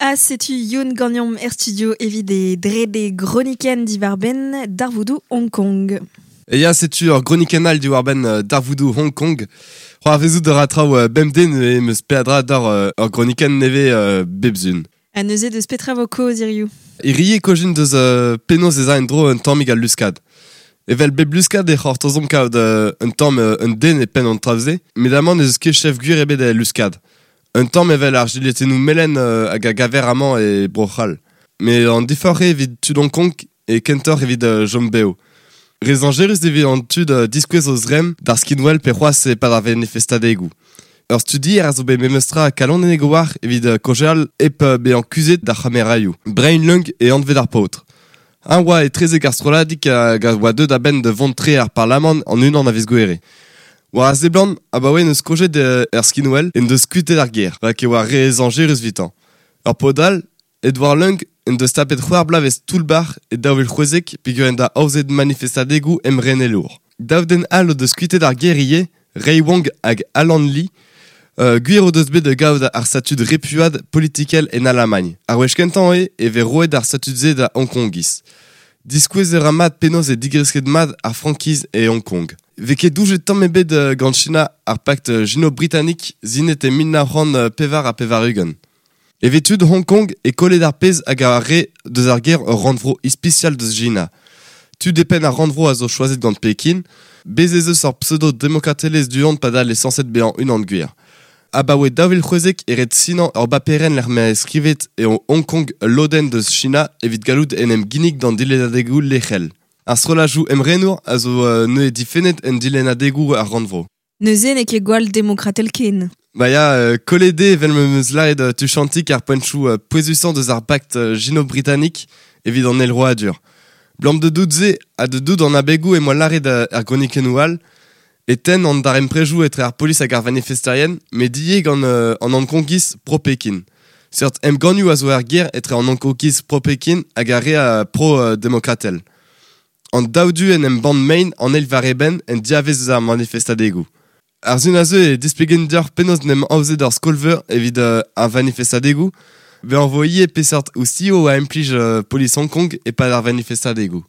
Ha setu Youn ganeomp er studio evit e drede gronikenn diwar-benn darvoudoù Hong Kong. E ya, setu ur gronikenn all diwar-benn darvoudoù Hong Kong. C'hoarvezout a ra traoù bemdez neuze em eus peadra d'ober ur gronikenn nevez bep sun. Ha neuze deus petra vo kaoz hiziv? Hirie kojin deus penaos ez a en-dro un tammig al luskad. Evel bep luskad e c'hortozomp kaout un tamm un den e penn an traoù-se, met amañ n'eus ket chef gwir ebet el luskad. Un tamm evel ar jiletennoù melen hag a gaver amañ e Bro-C'hall. Met an diforc'h eo evit tud Hong Kong e kentoc'h evit chom bev. Re zañjerus evit an tud diskouez o zremm d'ar skinwel pe c'hoazh e-pad ar vanifestadegoù. Ur studier a zo bet memestra kalonek a-walc'h evit kaozeal hep bezañ kuzhet d'ar c'hameraioù. Brian Leung e anvet ar paotr. Eñ oa etrezek ar strolladig hag a oa deuet a-benn da vont tre ar parlamant an unan a viz Gouhere. War a seblant, abaoe n'eus kozhet er skinwel en deus kuitaet ar gêr, rak e oa re zañjerus evitañ. Ur paotr all, Edward Leung, en deus tapet c'hwec'h bloavezh toull-bac'h e 2016 peogwir en doa aozet manifestadegoù emrenelour. Daou den all o deus kuitaet ar gêr ivez, Ray Wong hag Alan Lee. Gwir o deus bet da gaout ar statud repuad politikel en Alamagn. Ar wech kentañ eo e vez roet ar statud-se da Hongkongiz. Diskouez a ra mat penaos eo digresket mat ar frankiz e Hong Kong. Vez ket doujet tamm ebet gant China ar pakt sino-britanik sinet e 1984. Evit tud Hong Kong e kollet ar pezh hag ar re deus ar gêr ur rannvro ispisial deus China. Tud e penn ar rannvro a zo choazet gant Pekin, bez ez eus ur pseudo-demokratelezh du-hont padal eo sañset bezañ unan gwir. Abaoe 2016 e ret sinañ ur baperenn lec'h ma eo skrivet eo Hong Kong ul lodenn deus China evit gallout en em ginnig d'an dilennadegoù lec'hel. Ar strolladoù emrenour a zo neuze difennet en dilennadegoù ar rannvro. Neuze n'eo ket gwall demokratel ken. Ba ya, kollet eo evel ma 'm eus lâret tuchantik ar poentoù pouezusañ deus ar pakt sino-britanik evit an eilroadur. Blam da dout se ha da dout an abegoù em boa lâret er gronikennoù all e tenn an darempredoù etre ar polis hag ar vanifesterien met ivez gant an Hongkongiz pro-Pekin. Seurt emgannioù a zo er gêr etre an Hongkongiz pro-Pekin hag ar re pro-demokratel. An daou du en em bann mein an eil war eben en diavez eus ar manifestadegoù. Ar sun a zeu e displegan deoc'h penaos en em aozet ar skol-veur evit ar vanifestadegoù. Bezañ vo ivez peseurt ostilhoù a implij polis Hong Kong e-pad ar vanifestadegoù.